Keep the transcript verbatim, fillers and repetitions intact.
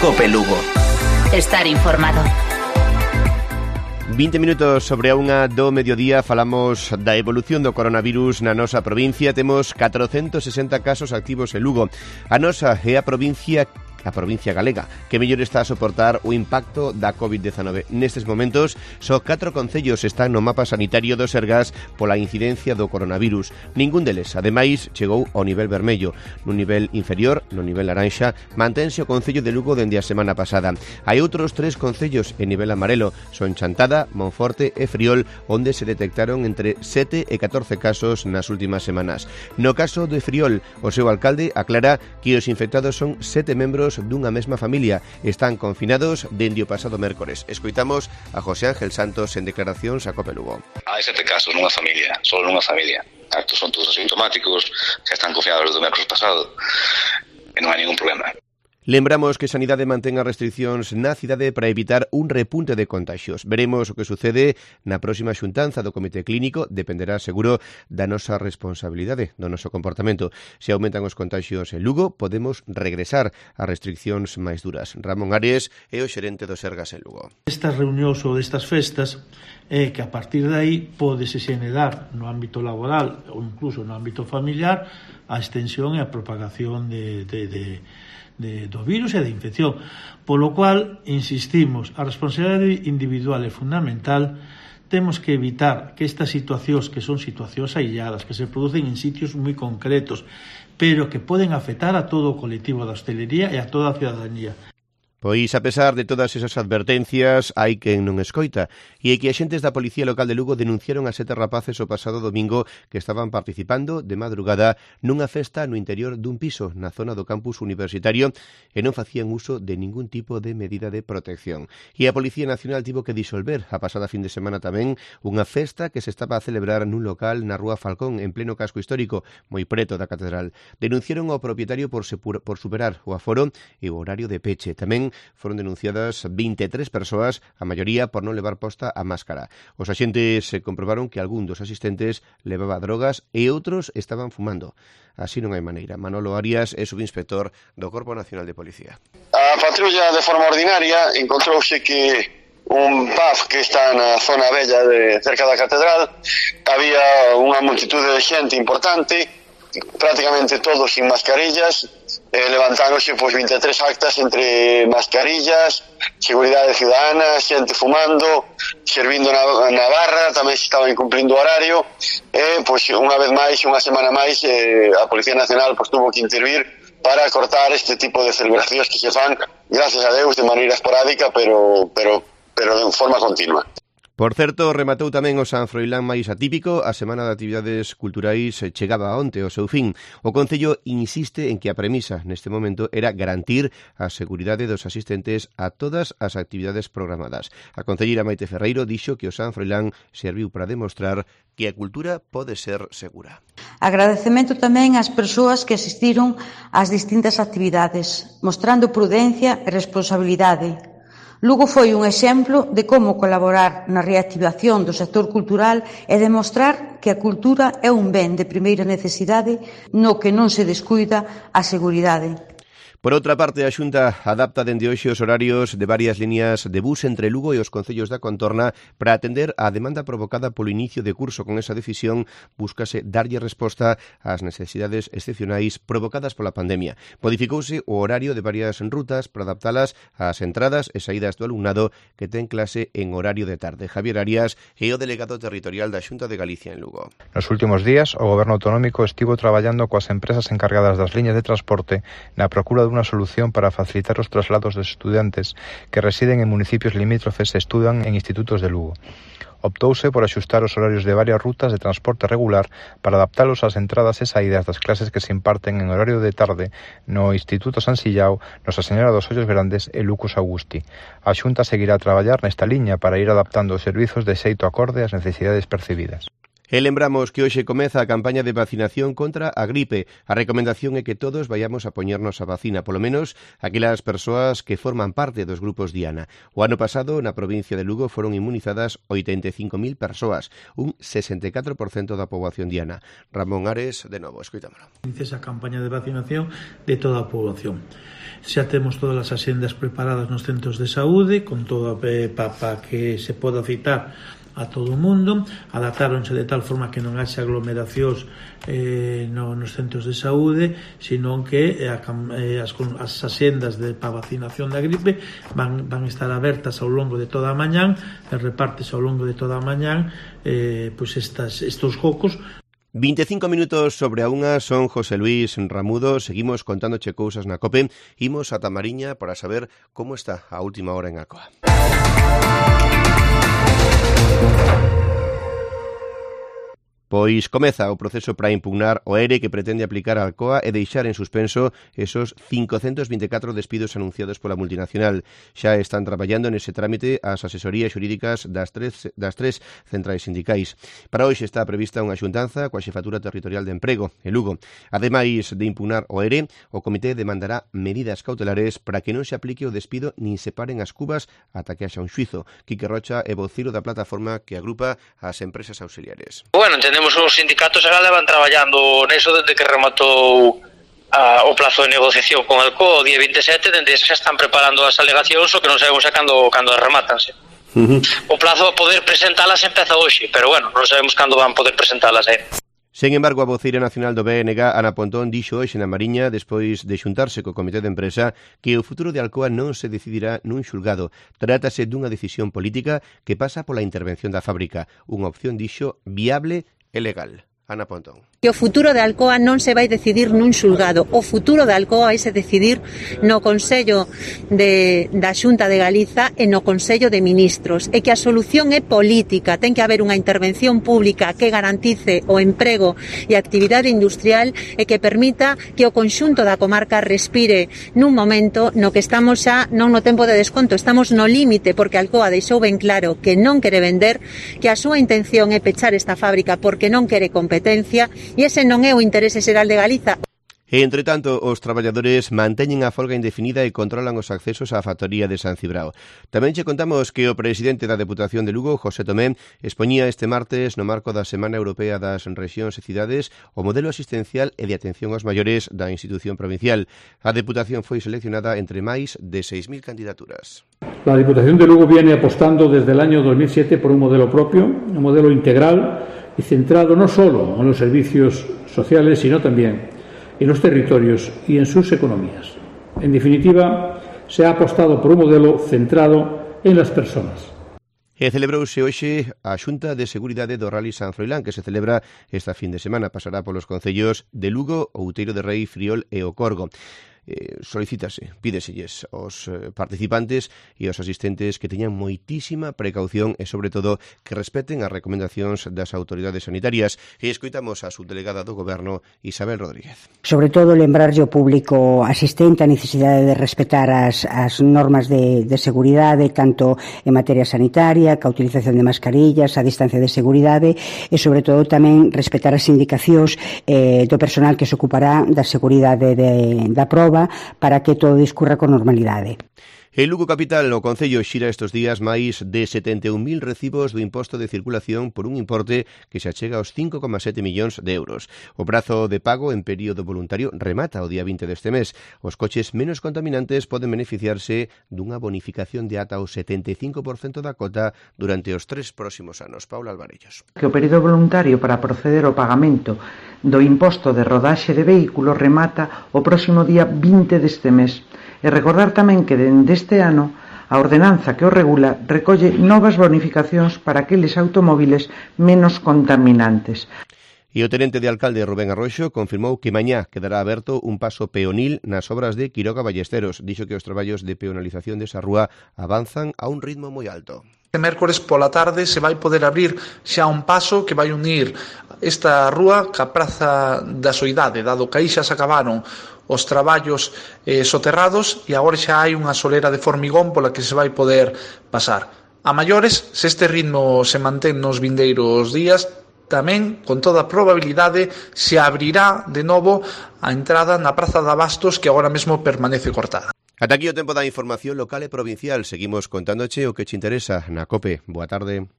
Cope Lugo. Estar informado. vinte minutos sobre a unha do mediodía, falamos da evolución do coronavirus na nosa provincia. Temos catrocentos sesenta casos activos en Lugo. A nosa é a provincia a provincia galega, que mellor está a soportar o impacto da covid dezanove. Nestes momentos, só catro concellos están no mapa sanitario do Sergas pola incidencia do coronavirus. Ningún deles, ademais, chegou ao nivel vermello. No nivel inferior, no nivel laranxa, mantense o concello de Lugo dende a semana pasada. Hai outros tres concellos en nivel amarelo, son Chantada, Monforte e Friol, onde se detectaron entre sete e catorce casos nas últimas semanas. No caso de Friol, o seu alcalde aclara que os infectados son sete membros dunha mesma familia. Están confinados dende o pasado mércores. Escoitamos a José Ángel Santos en declaracións a Cope Lugo. Hai sete casos nunha familia, só nunha familia. Estos son todos asintomáticos, que están confinados do mércores pasado e non hai ningún problema. Lembramos que Sanidade mantén as restriccións na cidade para evitar un repunte de contaxios. Veremos o que sucede na próxima xuntanza do Comité Clínico. Dependerá, seguro, da nosa responsabilidade, do noso comportamento. Se aumentan os contaxios en Lugo, podemos regresar a restriccións máis duras. Ramón Ares é o xerente do Sergas en Lugo. Estas reunións ou destas festas é que a partir de aí pódese xenerar no ámbito laboral ou incluso no ámbito familiar a extensión e a propagación de... de, de De, do virus e da infección, polo cual, insistimos, a responsabilidade individual é fundamental. Temos que evitar que estas situacións, que son situacións ailladas, que se producen en sitios moi concretos, pero que poden afectar a todo o colectivo da hostelería e a toda a cidadanía. Pois, a pesar de todas esas advertencias, hai quen non escoita. E é que axentes da Policía Local de Lugo denunciaron a sete rapaces o pasado domingo que estaban participando de madrugada nunha festa no interior dun piso na zona do campus universitario e non facían uso de ningún tipo de medida de protección. E a Policía Nacional tivo que disolver a pasada fin de semana tamén unha festa que se estaba a celebrar nun local na Rúa Falcón, en pleno casco histórico, moi preto da catedral. Denunciaron ao propietario por, sepur- por superar o aforo e o horario de peche. Tamén foron denunciadas vinte e tres persoas, a maioría por non levar posta a máscara. Os axentes se comprobaron que algún dos asistentes levaba drogas e outros estaban fumando. Así non hai maneira. Manolo Arias é subinspector do Corpo Nacional de Policía. A patrulla, de forma ordinaria, encontrouse que un pub que está na zona bella de cerca da catedral había unha multitude de xente importante, prácticamente todos sin mascarillas. Eh, levantáronse pois vinte e tres actas entre mascarillas, seguridade ciudadana, xente fumando, servindo na, na barra, tamén se estaba incumplindo o horario. E, pois, unha vez máis, unha semana máis, eh, a Policía Nacional pois, tuvo que intervir para cortar este tipo de celebracións que se fan, gracias a Deus, de maneira esporádica, pero, pero, pero de forma continua. Por certo, rematou tamén o San Froilán máis atípico. A Semana de Actividades Culturais chegaba onte ao seu fin. O Concello insiste en que a premisa neste momento era garantir a seguridade dos asistentes a todas as actividades programadas. A concelleira Maite Ferreiro dixo que o San Froilán serviu para demostrar que a cultura pode ser segura. Agradecemento tamén ás persoas que asistiron ás distintas actividades, mostrando prudencia e responsabilidade. Lugo foi un exemplo de como colaborar na reactivación do sector cultural e demostrar que a cultura é un ben de primeira necesidade no que non se descuida a seguridade. Por outra parte, a Xunta adapta dende hoxe os horarios de varias líneas de bus entre Lugo e os concellos da contorna para atender á demanda provocada polo inicio de curso. Con esa decisión, búscase darlle resposta ás necesidades excepcionais provocadas pola pandemia. Modificouse o horario de varias rutas para adaptalas ás entradas e saídas do alumnado que ten clase en horario de tarde. Javier Arias é o delegado territorial da Xunta de Galicia en Lugo. Nos últimos días, o Goberno autonómico estivo traballando coas empresas encargadas das liñas de transporte na procura unha solución para facilitar os traslados dos estudantes que residen en municipios limítrofes e estudan en institutos de Lugo. Optouse por axustar os horarios de varias rutas de transporte regular para adaptalos ás entradas e saídas das clases que se imparten en horario de tarde no Instituto San Sillao, Nosa Señora dos Ollos Grandes e Lucas Augusti. A Xunta seguirá a traballar nesta liña para ir adaptando os servizos de xeito acorde ás necesidades percibidas. E lembramos que hoxe comeza a campaña de vacinación contra a gripe. A recomendación é que todos vayamos a poñernos a vacina, polo menos aquelas persoas que forman parte dos grupos diana. O ano pasado, na provincia de Lugo, foron inmunizadas oitenta e cinco mil persoas, un sesenta e catro por cento da poboación diana. Ramón Ares, de novo, escoitámolo. Esa campaña de vacinación de toda a poboación. Xa temos todas as axendas preparadas nos centros de saúde, con todo para pa que se poda citar a todo o mundo, adaptáronse de tal forma que non haxa aglomeracións eh, no, nos centros de saúde, senón que eh, a, eh, as, as axendas de, para vacinación da gripe van, van estar abertas ao longo de toda a mañán, e repartes ao longo de toda a mañán eh, pois estas, estos focos. veinticinco minutos sobre a unha, son José Luis Ramudo, seguimos contándoche cousas na COPE, imos a Tamariña para saber como está a última hora en Alcoa. Pois comeza o proceso para impugnar o ERE que pretende aplicar a Alcoa e deixar en suspenso esos cincocentos vinte e catro despidos anunciados pola multinacional. Xa están traballando nese trámite as asesorías xurídicas das tres, das tres centrais sindicais. Para hoxe está prevista unha xuntanza coa Xefatura Territorial de Emprego, en Lugo. Ademais de impugnar o ERE, o comité demandará medidas cautelares para que non se aplique o despido nin se paren as cubas ata que haxa un xuizo. Quique Rocha é vociro da plataforma que agrupa as empresas auxiliares. Bueno, entendemos os sindicatos xa levan traballando neso desde que rematou a, o plazo de negociación con Alcoa o día vinte e sete, dende xa están preparando as alegacións, o que non sabemos xa cando, cando as rematanse. Uh-huh. O plazo a poder presentalas empeza hoxe, pero bueno, non sabemos cando van poder presentalas, eh. Sen embargo, a voceira nacional do B N G, Ana Pontón, dixo hoxe na Mariña, despois de xuntarse co Comité de Empresa, que o futuro de Alcoa non se decidirá nun xulgado. Trátase dunha decisión política que pasa pola intervención da fábrica, unha opción, dixo, viable e legal. Ana Pontón. Que o futuro de Alcoa non se vai decidir nun xulgado. O futuro de Alcoa vai se decidir no Consello de, da Xunta de Galiza e no Consello de Ministros. E que a solución é política. Ten que haber unha intervención pública que garantice o emprego e a actividade industrial e que permita que o conxunto da comarca respire nun momento no que estamos xa non no tempo de desconto. Estamos no límite porque Alcoa deixou ben claro que non quere vender, que a súa intención é pechar esta fábrica porque non quere competencia. E ese non é o interese xeral de Galiza. E, entre tanto, os traballadores manteñen a folga indefinida e controlan os accesos á factoría de San Cibrao. Tamén che contamos que o presidente da Deputación de Lugo, José Tomé, expoñía este martes no marco da Semana Europea das Rexións e Cidades o modelo asistencial e de atención aos maiores da institución provincial. A Deputación foi seleccionada entre máis de seis mil candidaturas. La Diputación de Lugo viene apostando desde el año dos mil siete por un modelo propio, un modelo integral y centrado no solo en los servicios sociales, sino también en los territorios y en sus economías. En definitiva, se ha apostado por un modelo centrado en las personas. E celebrouse hoxe a Xunta de Seguridade do Rally San Froilán, que se celebra esta fin de semana. Pasará polos concellos de Lugo, Outeiro de Rei, Friol e o Corgo. Eh, solicítase, pídeselles aos eh, participantes e aos asistentes que teñan moitísima precaución e, sobre todo, que respeten as recomendacións das autoridades sanitarias. E escoitamos a subdelegada do Goberno, Isabel Rodríguez. Sobre todo, lembrarlle ao público asistente a necesidade de respetar as, as normas de, de seguridade, tanto en materia sanitaria, ca utilización de mascarillas, a distancia de seguridade e, sobre todo, tamén respetar as indicacións eh, do personal que se ocupará da seguridade de, da prova para que todo discurra con normalidade. En Lugo Capital, o Concello xira estes días máis de setenta e un mil recibos do imposto de circulación por un importe que se achega aos cinco coma sete millóns de euros. O prazo de pago en período voluntario remata o día vinte deste mes. Os coches menos contaminantes poden beneficiarse dunha bonificación de ata o setenta e cinco por cento da cota durante os tres próximos anos. Paula Alvarellos. Que o período voluntario para proceder ao pagamento do imposto de rodaxe de vehículos remata o próximo día vinte deste mes. E recordar tamén que dende este ano a ordenanza que o regula recolle novas bonificacións para aqueles automóviles menos contaminantes. E o tenente de alcalde Rubén Arroxo confirmou que mañá quedará aberto un paso peonil nas obras de Quiroga Ballesteros. Dixo que os traballos de peonalización desa rúa avanzan a un ritmo moi alto. Este mércores pola tarde se vai poder abrir xa un paso que vai unir esta rúa ca Praza da Soidade, dado que aí xa se acabaron os traballos eh, soterrados e agora xa hai unha solera de formigón pola que se vai poder pasar. A maiores, se este ritmo se mantén nos vindeiros días, tamén, con toda probabilidade, se abrirá de novo a entrada na Praza de Abastos, que agora mesmo permanece cortada. Ata aquí o tempo da información local e provincial. Seguimos contándoche o que te interesa na COPE. Boa tarde.